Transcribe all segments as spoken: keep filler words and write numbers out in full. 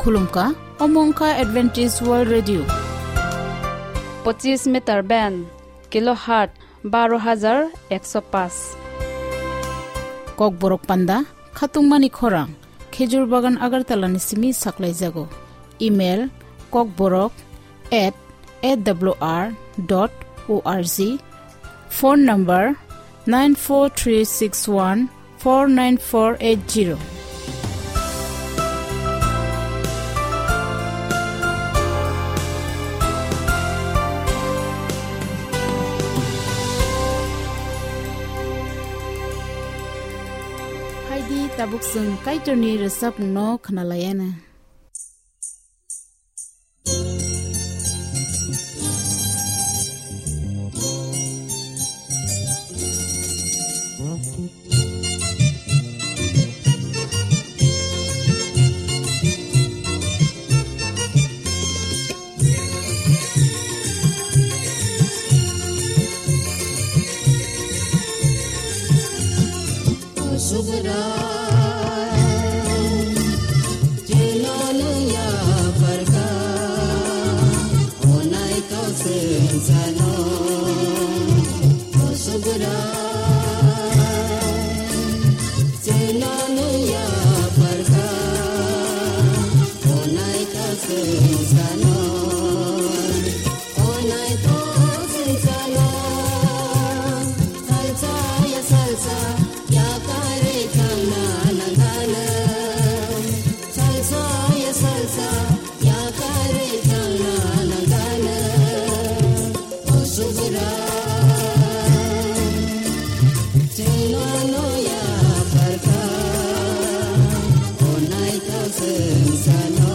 Khulumkha, omo wngkha Adventist World Radio. Pochis meter band, kilohertz baro hajar ekso paanch. Kokborok panda, khatungmani khorang, Khejur Bagan Agartala ni simi saklaijago. Email, kokborok at A W R dot O R G. Phone number, nine four three six one four nine four eight zero. Haidi tabuk chwng Kaitorni rwchapmungno khwnalaiana. Subra, jeno nung ya parka, onai to sensano. Subra, jeno nung ya parka, onai to sensano. Onai to sensano, salsa ya salsa, ya kare changna nangana. Salsa ya salsa, ya kare changna nangana. O subra, cheno no ya parka, onai to sensano.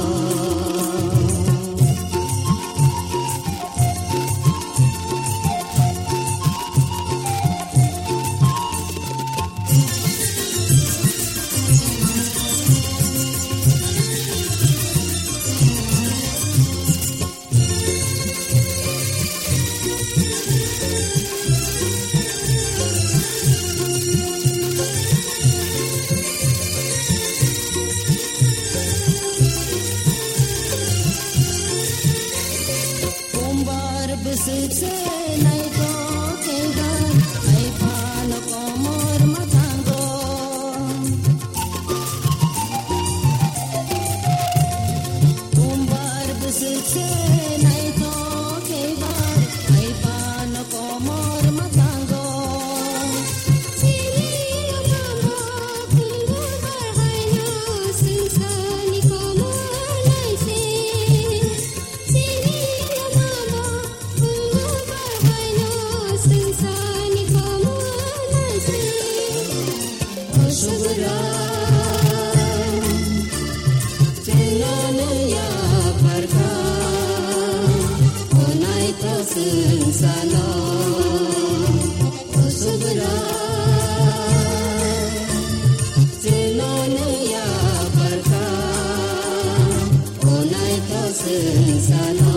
Kumbar bwswk se naithok khe ba, hai phano komor mwthango. Kumbar bwswk se naithok khe ba, hai phano komor mwthango. Chini mama kumbar haino swngcharni komor naise. Chini mama kumbar haino swngcharni komor naise. O subra, cheno nung ya parka, onai to swngcharno. O subra, cheno nung ya parka, onai to swngcharno.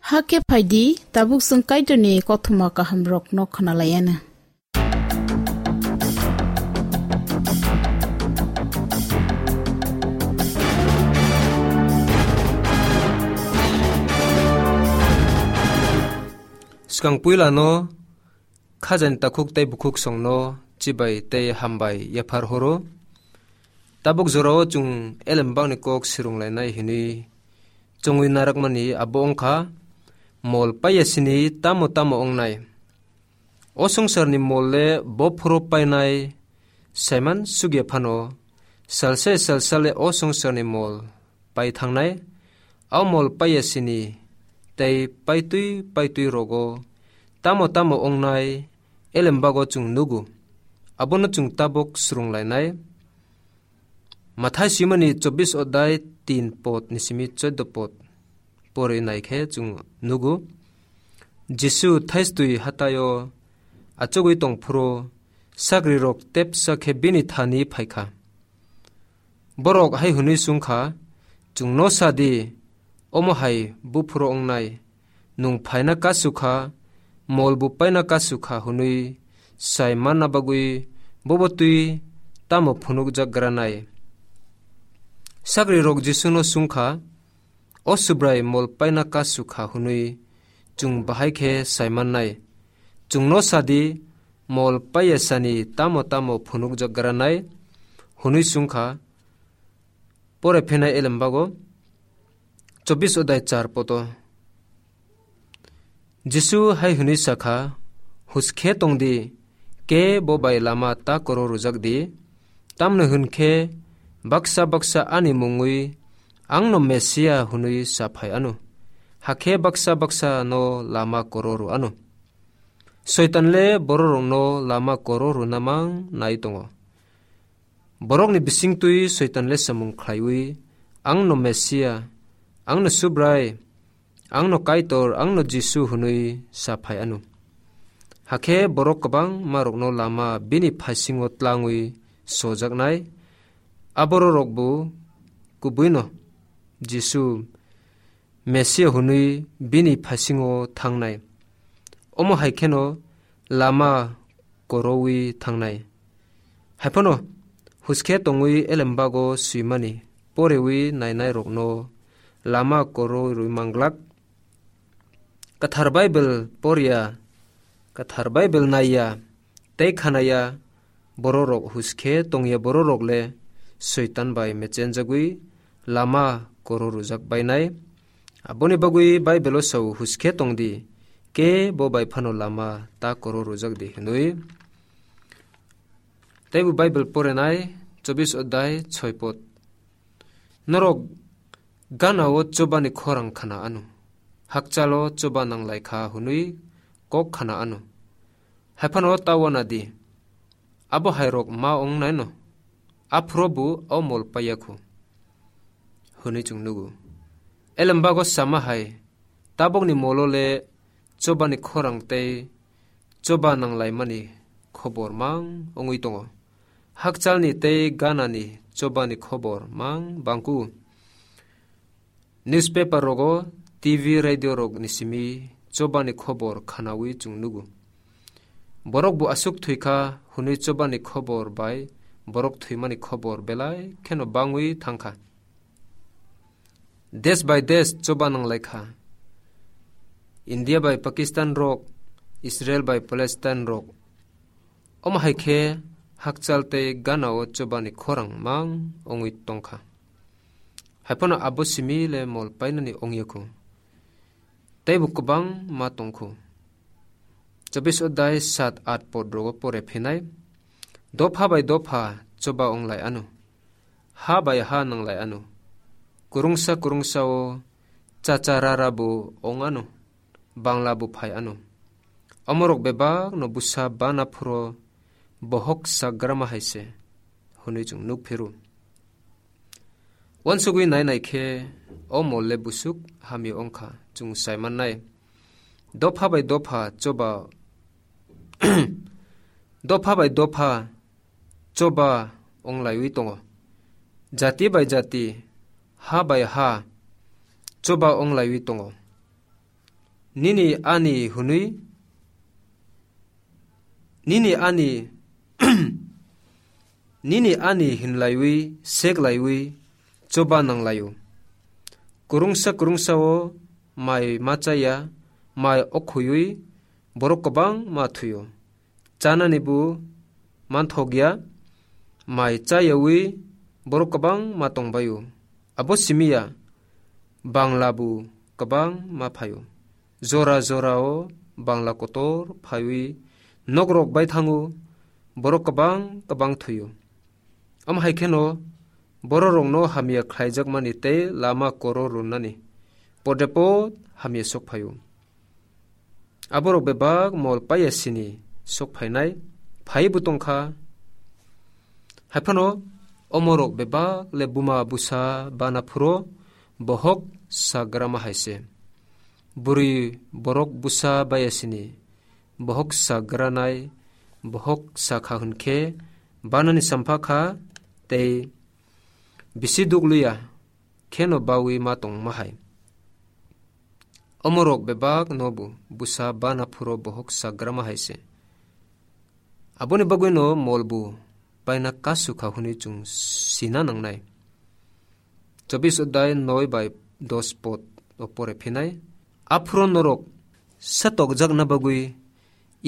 Hakhe phaidi, tabuk chwng Kaitorni kothoma kahamrokno khwnalaianw. Swkang puilano khajani takhuk tei bukhuk songno chibai tei hambai yaphar horo. Tabuk jorao chwng elembakni kok swrwnglainai hwnwi chongwi narakmani abo wngkha, mol paiyasini tamo tamo wngnai. O swngcharni mol le bo phuru painai saiman sugya phano, salsai salsale o swngcharni mol pai thangnai. O mol paiyasini tei paitwi paitwi rogo tamo tamo wngnai elembago chwng nugo. Abono chwng tabuk swrwnglainai. Mathai swimani chobbish odai tin pod ni simi chordo pod pori naikhe chwng nugo, Jisu thaistwi hataio achugwi tongphuru sagrirok tepsa khe bini thani phaikha. Borok hai hwnwi swngkha, "Chwngno sa di, omo hai buphuru wngnai, nwng phaina kasu kha, mol bo paina kasu kha hwnwi sai manna bagwi bobo twi tamo phunukjak granai?" Sagrirok Jisuno swngkha, "O Subrai, mol paina kasu kha hwnwi chwng bahai khe sai mannai? Chwngno sa di, mol paiyasani tamo tamo phunukjak granai?" hwnwi swngkha. Pore phinai elembago chobbish odai char poto. Jisu hai hwnwi sakha, "Huskhe tong di, ke bo bai lama ta koro rwjak di, tamni hwn khe baksa baksa ani mungwi ang no Mesia hwnwi sa phai ano, hakhe baksa baksa no lama koro rw ano." Soitan le bororokno lama koro rwna mang nai tongo. Borokni bisingtwi Soitan le samung khlaiwi, "Ang no Mesia, ang no Subrai, ang no Kaitor, ang no Jisu," hwnwi sa phai ano. Hakhe borok kwbangmarokno lama bini phaisingo tlangwi sojaknai. Abororok bo kubuino Jisu Mesia hwnwi bini phaisingo thangnai. Omo hai kheno lama korowi thangnai. Haiphano huskhe tongwi elembago swimani porewi nainairokno lama korowi rwi manglak. Kwthar Bible porya, Kwthar Bible naiya tei khanaya bororok, huskhe tongya bororok le Soitan bai mechenjagwi lama koro rwjak bainai. Aboni bagwi Bible-o sao, "Huskhe tong di, ke bo bai phano lama ta koro rwjak di," hwnwi. Tei bo Bible porenai chobbish odai choi pod. Norok gana-o chobani khorang khna ano, hakchalo choba nanglai kha hwnwi kok khna ano. Haiphano ta uana di, abo hairok ma ongnaino, aphuru bo o mol paiya khu, hwnwi chwng nugo. Elembago sama hai, tabukni molo le chobani khorang tei choba nanglaimani khobor mang wngwi tongo. Hakchalni tei ganani chobani khobor mang bangku. Newspaper rogo, T V, radio rokni simi chobani khobor khnawi chwng nugo. Borok bo aswk thwikha hwnwi chobani khobor bai borok thwimani khobor belai kheno bangwi thangkha. Desh bai desh choba nanglaikha. India bai Pakistan rok, Israel bai Palestine rok. Omo hai khe hakchal tei gana-o chobani khorang mang wngwi tongkha. Haiphano abo simi le mol painani ongya kho. Teibo kwbang ma tong kho. Chobis odai sat at pod rogo pore phinai. Dopha bai dopha choba onglai ano. Ha bai ha nanglai ano. Kurungsa kurungsa o chacha rara bo ong ano. Bangla bo phai ano. Omorok bebak no busa bana phuro bohok sagrama hai se. Hwnwi chwng nuk phiru. Wansugwi nai nai khe o mol le busuk hamya ongkha chwng sai mannai. Dopha bai dopha choba, dopha bai dopha choba onglaiwi tongo. Jati bai jati, ha bai ha choba onglaiwi tongo. Nini ani hwnwi, nini ani, nini ani hinlaiwi, seklaiwi, choba nanglaio. Kurungsa kurungsa o mai ma chaya, mai okhuiwi borok kwbang ma thuio. Chanani bo manthokya, mai chayawi borok kwbang ma tongbaio. Abo simiya bangla bo kwbang ma phaio. Jora jora o bangla kotor phaiwi nokrok bai thango, borok kwbang kwbang thuio. Omo hai kheno bororokno hamya khlaijakmani tei lama koro rwnani pode pod hamya sok phaio. Aborok bebak mol paiya sini sok phainai, phaibo tongkha. Haiphano omorok bebak le buma busa bana phuro bohok sagrama hai se. Bwrwi borok busa baiya sini bohok sagranai, bohok sakha hwn khe banani sampha kha tei bisi dukliya kheno bawi ma tongma hai. Omorok bebak no bo busa bana phuro bohok sagrama hai se. Aboni bagwi no mol bo paina kasu kha hwnwi chwng sina nangnai. Chobis odai noi bai dos pod o pore phinai. Aphuro norok satokjakna bagwi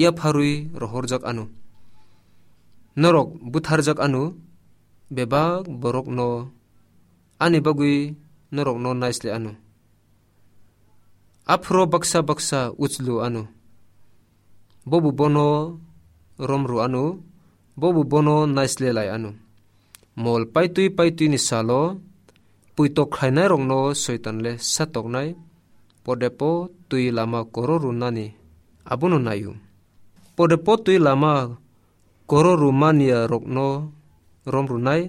yapharwi rohorjak ano. Norok butharjak ano, bebak borokno ani bagwi norokno naisle ano. Aphuro baksa baksa uchlu ano. Bobo bono romru ano, bobo bono naisle lai ano. Mol paitwi paitwini salo puitok khlainairokno Soitan le satoknai, podepo twi lama koro rwnani abono naio. Podepo twi lama koro rwmaniya rokno rom rwnai,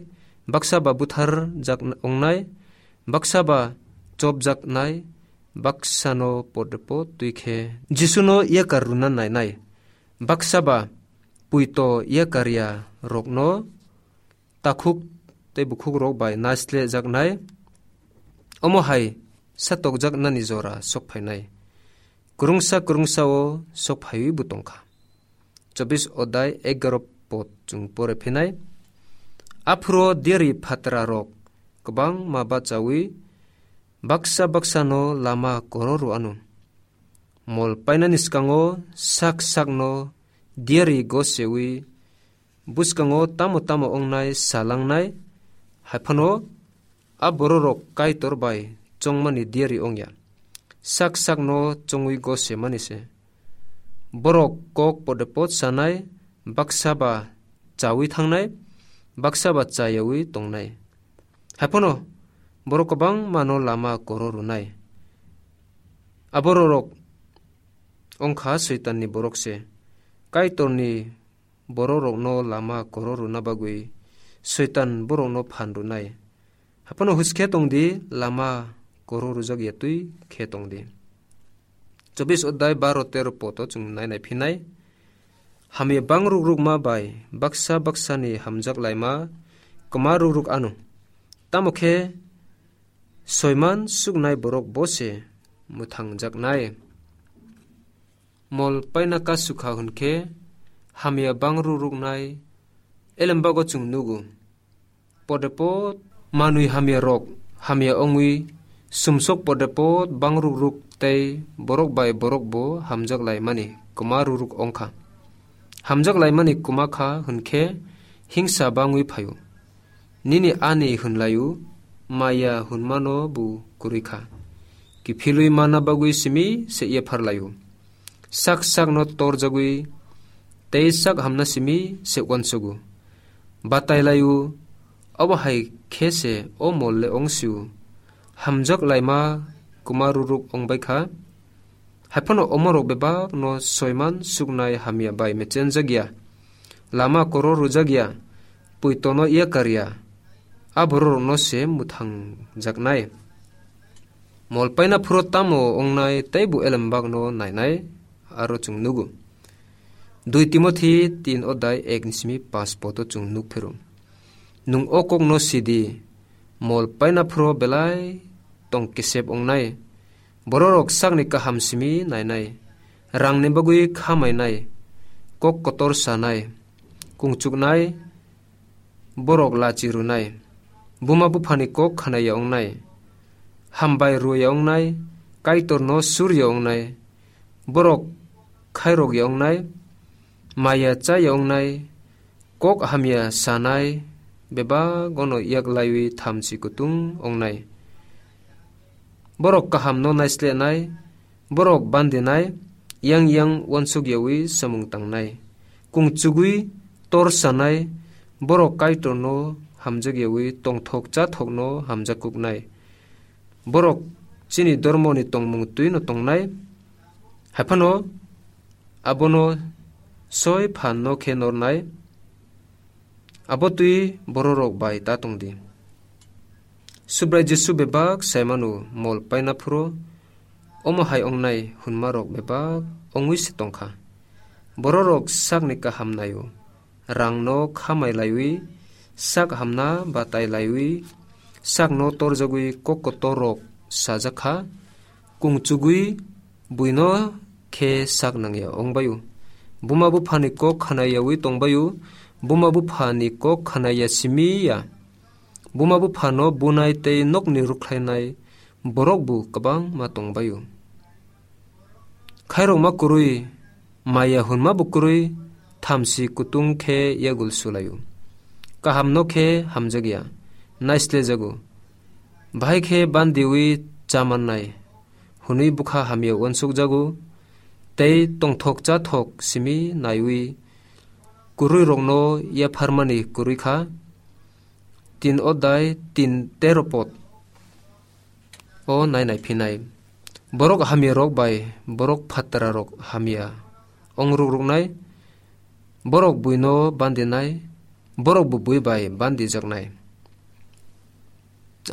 baksa ba buthar jak ongnai, baksa ba chop jaknai, baksa no podepo twi khe Jisu no yakar rwna nainai, baksa ba puito yakar ya rokno takhuk tei bukhuk rok bai naisle jaknai, omo hai satokjaknani jora sok phainai. Kwrwngsa kwrwngsa o sok phaiwi bo tongkha. Chobis odai egaro pod chwng pore phinai. Aphuro diari phatra rok kwbangma bachawi baksa baksa no lama koro rw ano. Mol painani swkango sak sak no diari gosewi bwskango tamo tamo ongnai salangnai, haiphano a bororok Kaitor bai chongmani diari ongya. Sak sakno chongwi gosemani se. Borok kok podepot sanai, baksa ba chawi thangnai, baksa ba chayawi tongnai. Haiphano borok kwbangmano lama koro rwnai. Abororok ongkha Soitanni borok se. Kaitorni bororokno lama koro rwna bagwi Soitan borokno phan rwnai. Haphano huskhe tongdi, lama koro rwjak ya twi khe tongdi. Chobis odai baro tero poto chwng nai nai phinai. Hamya bang ruk rukma bai baksa baksani hamjak laima kwma ruk ruk ano. Tamo khe soiman suknai borok bo se mwthangjaknai. Mol paina kasukha hwnkhe hamya bang ruk ruknai elembago chwng nugo. Podepot manwi hamya rok hamya ongwi sumsok podepot bang ruk ruk tei borok bai borok bo hamjak laimani kwma ruk ruk ongkha. Hamjak laimani kwma kha hwnkhe hingsa bangwi phaio. Nini ani hwnlaio, maya hwnmano bo kwrwi kha. Kiphilwi manna bagwi simi se yaphar lai-o. Sak sakno torjagwi tei sak hamna simi se uansugo. Batai lai-o, obo hai khe se o mol le ong si-o. Hamjak laima kwma ruruk ong bai kha. Haiphano omorok bebakno soiman suknai hamya bai mechenjak ya, lama koro rwjak ya, puitono yakar ya, a bororokno se mwthangjaknai. Mol paina phuru tamo wngnai tei bo elembakno nainai, aro chwng nugo. Dui Timothi tin odai ek ni simi pas poto chwng nuk phiro. Nwng o kokno sidi, mol paina phuru belai tong kesep wngnai. Bororok sakni kaham simi nainai, rangni bagwi khamainai, kok kotor sanai, kungchuknai, borok lachi rwnai, buma buphani kok khanai ya wngnai, hambai rw ya wngnai, Kaitorno sur ya wngnai, borok khairok ya wngnai, maya cha ya wngnai, kok hamya sanai, bebagono yak laiwi thamchi kutung wngnai. Borok kahamno naislenai, borok bandinai, yang yang uansuk yawi samung tangnai, kungchugwi tor sanai, borok Kaitorno hamjak yawi tongthok chathokno hamjak kuknai. Borok chini dormoni tongmung twino tongnai, haiphano abono soi phanno khe nornai, abo twi bororok bai ta tongdi. Subrai Jisu bebak saimano mol paina phuru omo hai ongnai hwnmarok bebak ongwi se tongkha. Bororok sakni kaham naio, rangno khamai laiwi, sak hamna batai laiwi, sakno torjagwi kok kotorrok sajak kha, kungchugwi buino khe sak nangya ongbaio. Buma buphani kok khanai yawi tongbaio, buma buphani kok khanai ya simi ya. Buma buphano bunai tei nokni rwkhlainai borok bo kwbangma tongbaio. Khairokma kwrwi, maya hwnma bo kwrwi, thamsi kutung khe yagul sulaio. Kahamno khe hamjakya, naislejago. Bahai khe bandiwi chamannai, hwnwi bwkha hamya uansukjago, tei tongthok chathok simi naiwi kwrwirokno yapharmani kwrwi kha. Tin odai tin tero pod o nai nai phinai. Borok hamyarok bai borok phatrarok hamya ong ruk ruknai, borok buino bandinai, borok bo bui bai bandijaknai.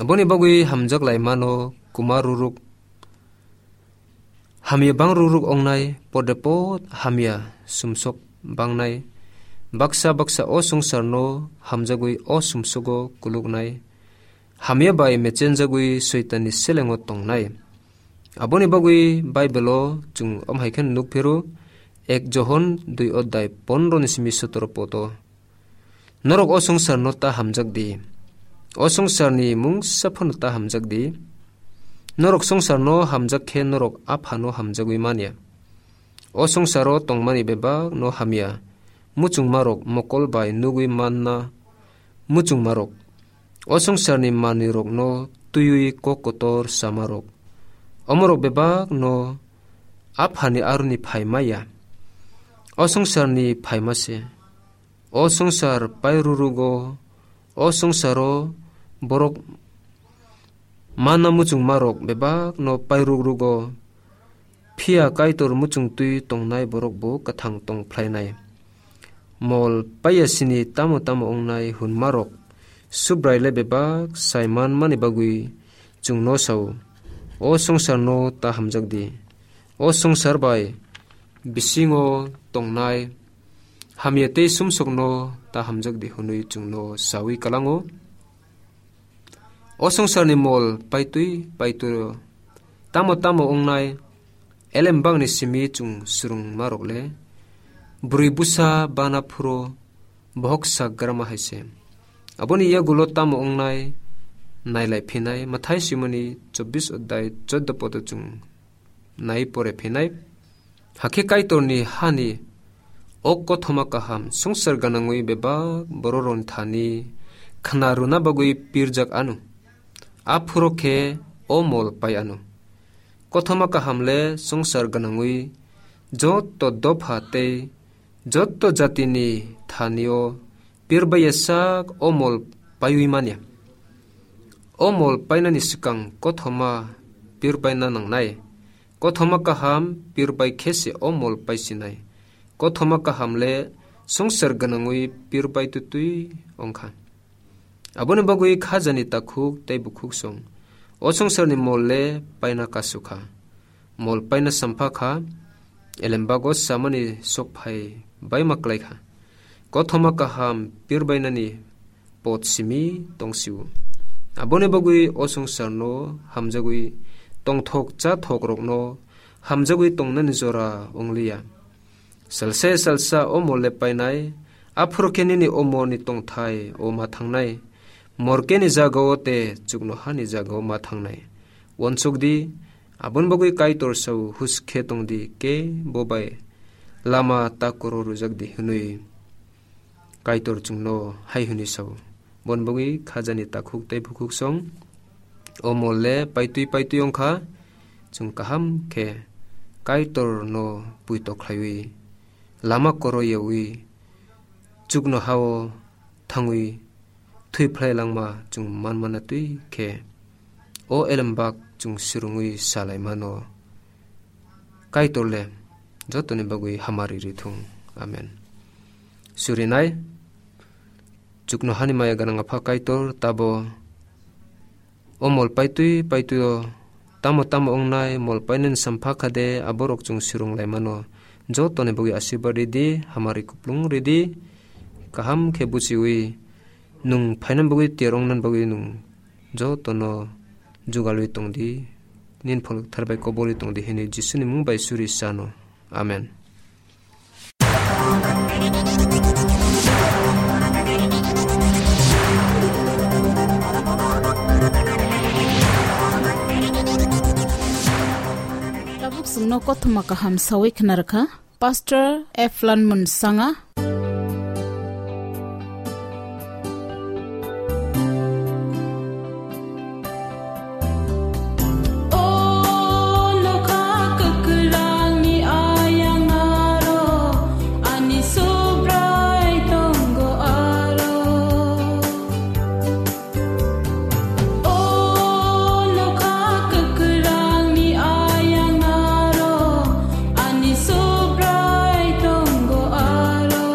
Aboni bagwi hamjak lai mano kwma ruruk. Hamya bang ruruk ongnai, pode pod hamya sumsok bangnai. Baksa baksa o swngcharno hamjagwi o sumsogo kuluknai. Hamya bai mechenjagwi Soitanni selengo tongnai. Aboni bagwi Baibelo chwng omo hai khe nuk phiro, ek Johon dui odai pondro ni simi sotoro poto. Norok o swngcharno ta hamjak di. O swngcharni mungsa phano ta hamjak di. Norok swngcharno hamjak khe norok Aphano hamjagwi manya. O swngcharo tongmani bebakno hamya muchungmarok mokol bai nugwi manna muchungmarok. O swngcharni manwirokno twiwi kok kotor samarok. Omorok bebakno Aphani aroni phaima ya. O swngcharni phaima se. O swngchar pairurugo, o swngcharo borok manna muchungmarok bebakno pairukrugo, phiya Kaitor muchungtwi tongnai borokbo kwthang tong phlainai. Mol paiya sini tamo tamo wngnai hwnmarok Subrai le bebak sai manmani bagwi chwngno sao, o swngcharno ta hamjak di. O swngchar bai bisingo tongnai hamya tei sumsokno ta hamjak di hwnwi chwngno saui kalango. O swngcharni mol paitwi paitwiro tamo tamo wngnai elembakni simi chwng swrwngmarok le bwrwi bwsa bana phuro bohok sak grama hai se. Aboni yagulo tamo wngnai nailai phinai Mathai simoni chobbish odai choddo poto chwng nai pore phinai. Hakhe Kaitorni hani o kothoma kaham swngchar ganangwi bebak bororokni thani khna rwna bagwi pirjak ano. aphuru khe o mol pai anw. Kothoma kaham le swngchar gwnangwi jotto dopha tei jotto jatini thani-o pirbai ya sak o mol paiwi manya. O mol painani swkang kothoma pirbaina nangnai. Kothoma kaham pirbai khe se o mol paisinai. Kothoma kaham le swngchar gwnangwi pirbai twtwi wngkha. Aboni bagwi khajani takhuk tei bukhuk song o swngcharni mol le paina kasukha. Mol paina sampha kha, elembago samani sokphai baima klai kha. Kothoma kaham pirbainani pot simi tong sio. Aboni bagwi o swngcharno hamjagwi tongthok chathok rokno hamjagwi tongnani jora wngliya. Salsa salsa o mol le painai, aphuru khe nini o molni tongthai o ma thangnai. Mor khe ni jagao te chuknohani jagao ma thangnai. Uansuk di, aboni bagwi Kaitor sao, hus khe tong di, kebo bai lama takoro rwjak di hwnwi Kaitor chwngno hai hwnwi sao. Bon bagwi khajani takhuk tei bukhuk song o mol le paitwi paitwi wngkha, chwng kaham khe Kaitorno puito khlaiwi, lama koro yawi, chuknohao thangwi thwi phlai langma chwng manmana twi khe, o elembak chwng swrwngwi salai mano. Kaitor le jotoni bagwi hamari rithung. Amen. Surinai, chuknohani maya gwnang Apha Kaitor, tabo o mol paitwi paitwi o tamo tamo wngnai, mol painani sampha kha de, aborok chwng swrwng lai mano. Jotoni bagwi asirwad ridi, hamari kuplung ridi, kaham khe buchiwi nwng phainani bagwi tiyar wngnani bagwi nwng jotono jugalwi tong di, nini pholok thar bai kobolwi tong di hwnwi Jisuni mung bai suri sano. Amen. Tabuk chwngno kothoma kaham sawi khna rwkha Pastor Eflan Munsanga. O nokha kwkwrangni ayang aro ani Subrai tongo aro. O nokha kwkwrangni ayang aro ani Subrai tongo aro.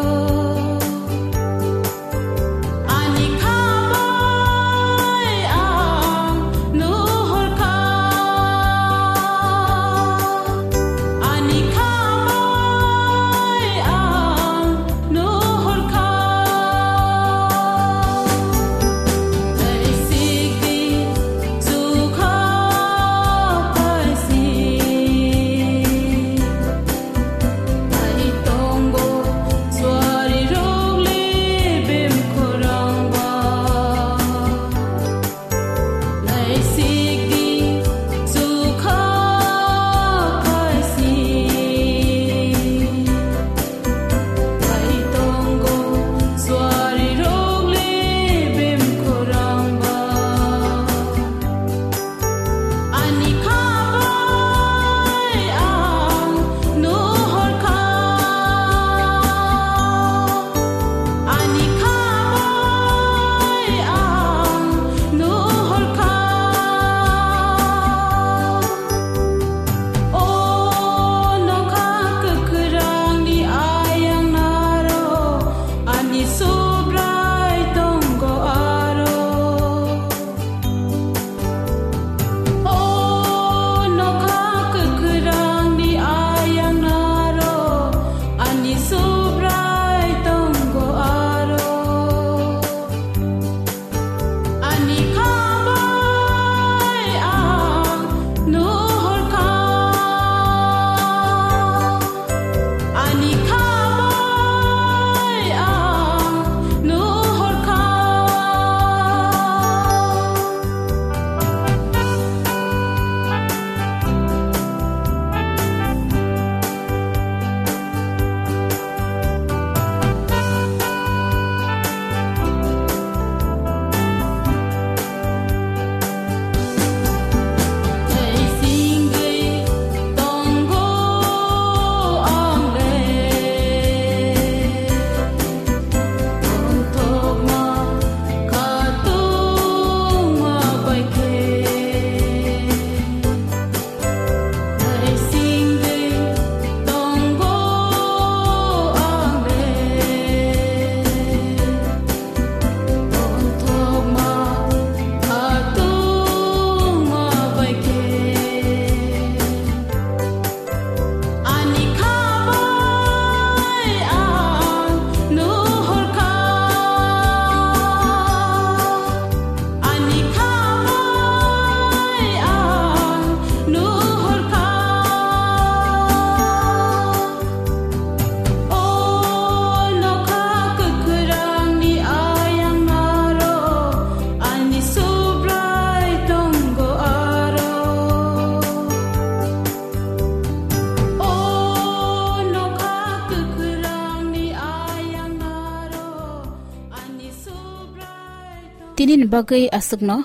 Nini bagwi aswkno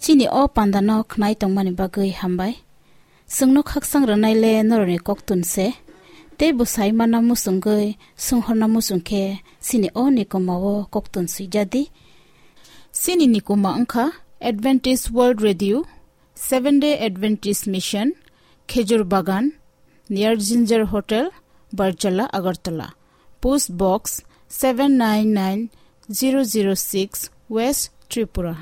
chini o pandano khnai tongmani bagwi hambai. Chwngno khaksang rwnaile norokni koktun se. Tei bwsai mana muchungwi swnghorna muchung khe chini o nikoma o koktun swijadi. Chini nikoma wngkha Adventist World Radio, Seventh Day Adventist Mission, Khejur Bagan, near Ginger Hotel, Barjala, Agartala. Post Box seven nine nine zero zero six, West Tripura.